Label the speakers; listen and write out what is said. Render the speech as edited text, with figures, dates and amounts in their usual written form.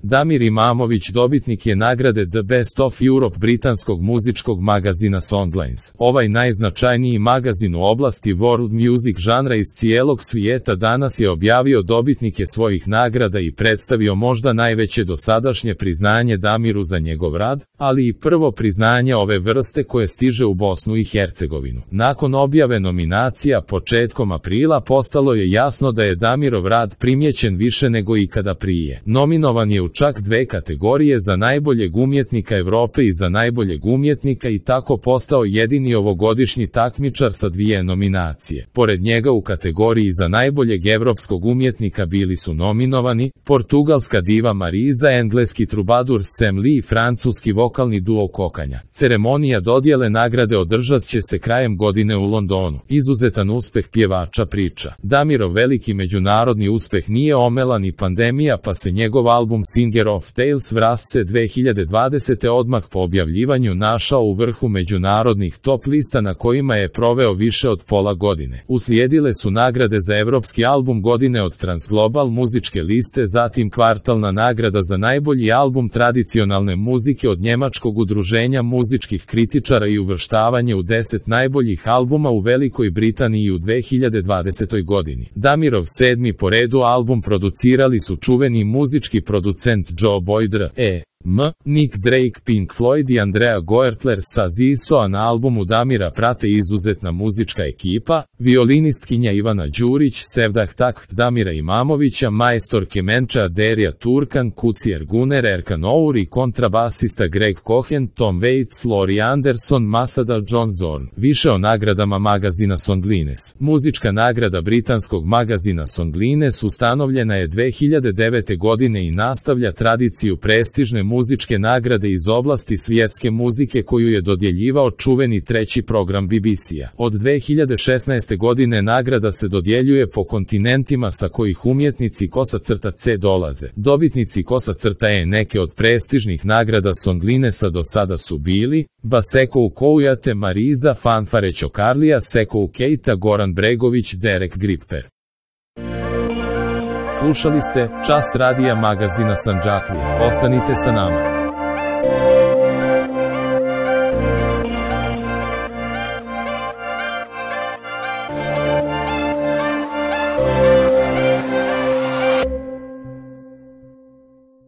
Speaker 1: Damir Imamović dobitnik je nagrade The Best of Europe britanskog muzičkog magazina Songlines. Ovaj najznačajniji magazin u oblasti world music žanra iz cijelog svijeta danas je objavio dobitnike svojih nagrada i predstavio možda najveće dosadašnje priznanje Damiru za njegov rad, ali i prvo priznanje ove vrste koje stiže u Bosnu i Hercegovinu. Nakon objave nominacija početkom aprila postalo je jasno da je Damirov rad primijećen više nego ikada prije. Nominovan je u čak 2 kategorije, za najboljeg umjetnika Europe i za najboljeg umjetnika, i tako postao jedini ovogodišnji takmičar sa 2 nominacije. Pored njega u kategoriji za najboljeg evropskog umjetnika bili su nominovani portugalska diva Marisa, engleski trubadur Sam Lee i francuski vokalni duo Kokanja. Ceremonija dodjele nagrade održat će se krajem godine u Londonu. Izuzetan uspeh pjevača priča. Damirov veliki međunarodni uspeh nije omela ni pandemija, pa se njegov album Singer of Tales vrasce 2020. odmah po objavljivanju našao u vrhu međunarodnih top lista na kojima je proveo više od pola godine. Uslijedile su nagrade za evropski album godine od Transglobal muzičke liste, zatim kvartalna nagrada za najbolji album tradicionalne muzike od njemačkog udruženja muzičkih kritičara i uvrštavanje u 10 najboljih albuma u Velikoj Britaniji u 2020. godini. Damirov 7. po redu album producirali su čuveni muzički producent Joe Boyd, Nick Drake, Pink Floyd i Andrea Goertler sa ZISO, a na albumu Damira prate izuzetna muzička ekipa, violinistkinja Ivana Đurić, sevdah takt Damira Imamovića, majstor kemenča Derija Turkan, kucijer Guner Erkan Our i kontrabasista Greg Cohen, Tom Waits, Laurie Anderson, Masada John Zorn. Više o nagradama magazina Songlines. Muzička nagrada britanskog magazina Songlines ustanovljena je 2009. godine i nastavlja tradiciju prestižne muzičke nagrade iz oblasti svjetske muzike koju je dodjeljivao čuveni 3. program BBC-a. Od 2016. godine nagrada se dodjeljuje po kontinentima sa kojih umjetnici _C dolaze. Dobitnici _E neke od prestižnih nagrada Songlinesa do sada su bili Basekou Koujate, Marisa, Fanfare Ćokarlija, Sekou Keita, Goran Bregović, Derek Gripper. Slušali ste Čas radija magazina Sandžaklija. Ostanite sa nama.